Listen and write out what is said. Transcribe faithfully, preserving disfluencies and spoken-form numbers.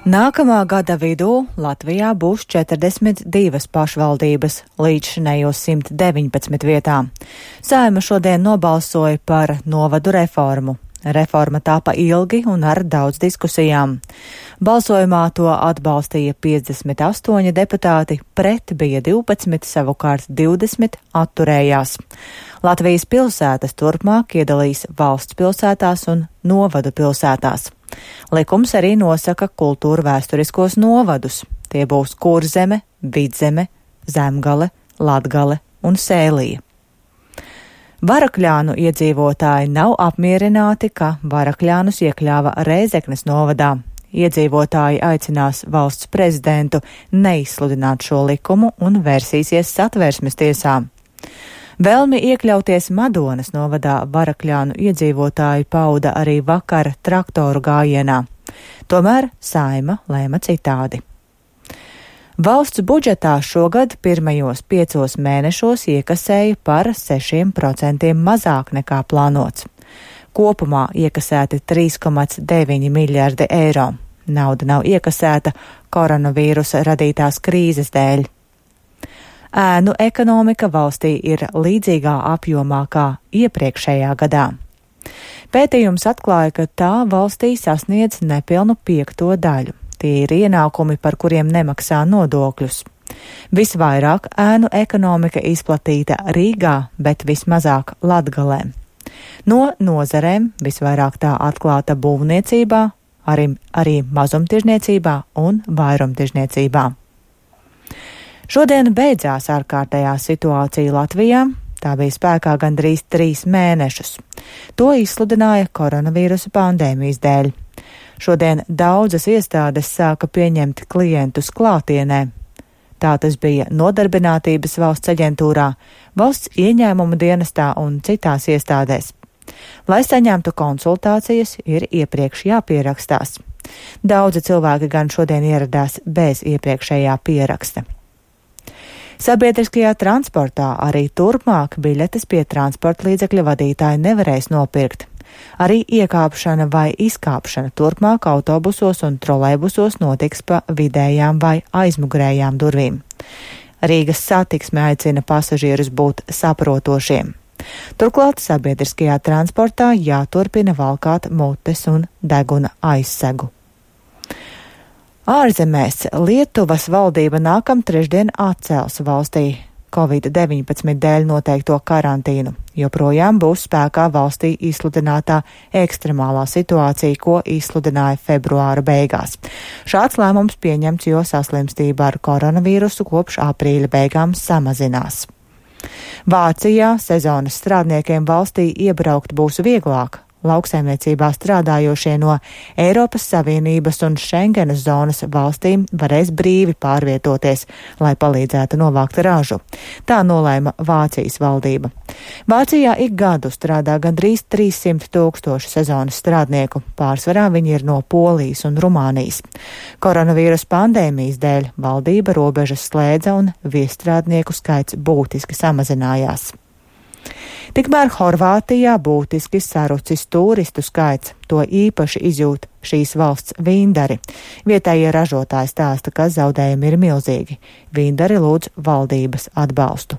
Nākamā gada vidū Latvijā būs četrdesmit divas pašvaldības līdzšinējos simt deviņpadsmit vietām. Saeima šodien nobalsoja par novadu reformu. Reforma tāpa ilgi un ar daudz diskusijām. Balsojumā to atbalstīja piecdesmit astoņi deputāti, pret bija divpadsmit, savukārt divdesmit atturējās. Latvijas pilsētas turpmāk iedalīs valsts pilsētās un novadu pilsētās. Likums arī nosaka kultūra vēsturiskos novadus. Tie būs Kurzeme, Vidzeme, Zemgale, Latgale un Sēlija. Varakļānu iedzīvotāji nav apmierināti, ka Varakļānus iekļāva Rēzeknes novadā. Iedzīvotāji aicinās valsts prezidentu neizsludināt šo likumu un vērsīsies Satversmes tiesā. Vēlmi iekļauties Madonas novadā Varakļānu iedzīvotāji pauda arī vakar traktoru gājienā. Tomēr Saeima lēma citādi. Valsts budžetā šogad pirmajos piecos mēnešos iekasēja par sešiem procentiem mazāk nekā plānots. Kopumā iekasēti trīs komats deviņi miljardi eiro. Nauda nav iekasēta koronavīrusa radītās krīzes dēļ. Ēnu ekonomika valstī ir līdzīgā apjomā kā iepriekšējā gadā. Pētījums atklāja, ka tā valstī sasniedz nepilnu piekto daļu. Tie ir ienākumi, par kuriem nemaksā nodokļus. Visvairāk ēnu ekonomika izplatīta Rīgā, bet vismazāk Latgalē. No nozarēm visvairāk tā atklāta būvniecībā, arī, arī mazumtirdzniecībā un vairumtirdzniecībā. Šodien beidzās ārkārtējā situācija Latvijā. Tā bija spēkā gandrīz trīs mēnešus. To izsludināja koronavīrusa pandēmijas dēļ. Šodien daudzas iestādes sāka pieņemt klientus klātienē. Tā tas bija Nodarbinātības valsts aģentūrā, valsts ieņēmuma dienestā un citās iestādēs. Lai saņemtu konsultācijas, ir iepriekš jāpierakstās. Daudzi cilvēki gan šodien ieradās bez iepriekšējā pieraksta. Sabiedriskajā transportā arī turpmāk biļetes pie transporta līdzekļa vadītāji nevarēs nopirkt. Arī iekāpšana vai izkāpšana turpmāk autobusos un trolejbusos notiks pa vidējām vai aizmugurējām durvīm. Rīgas satiksme aicina pasažierus būt saprotošiem. Turklāt sabiedriskajā transportā jāturpina valkāt mutes un deguna aizsegu. Ārzemēs Lietuvas valdība nākam trešdien atcels valstī covid deviņpadsmit dēļ noteikto karantīnu. Joprojām būs spēkā valstī izsludinātā ekstremālā situācija, ko izsludināja februāra beigās. Šāds lēmums pieņemts, jo saslimstība ar koronavīrusu kopš aprīļa beigām samazinās. Vācijā sezonas strādniekiem valstī iebraukt būs vieglāk. Lauksaimniecībā strādājošie no Eiropas Savienības un Šengenas zonas valstīm varēs brīvi pārvietoties, lai palīdzētu novākt ražu. Tā nolēma Vācijas valdība. Vācijā ik gadu strādā gandrīz trīssimt tūkstoši sezonas strādnieku, pārsvarā viņi ir no Polijas un Rumānijas. Koronavīrus pandēmijas dēļ valdība robežas slēdza un viesstrādnieku skaits būtiski samazinājās. Tikmēr Horvātijā būtiski sarucis turistu skaits, to īpaši izjūt šīs valsts vīndari. Vietējie ražotāji stāsta, ka zaudējumi ir milzīgi. Vīndari lūdz valdības atbalstu.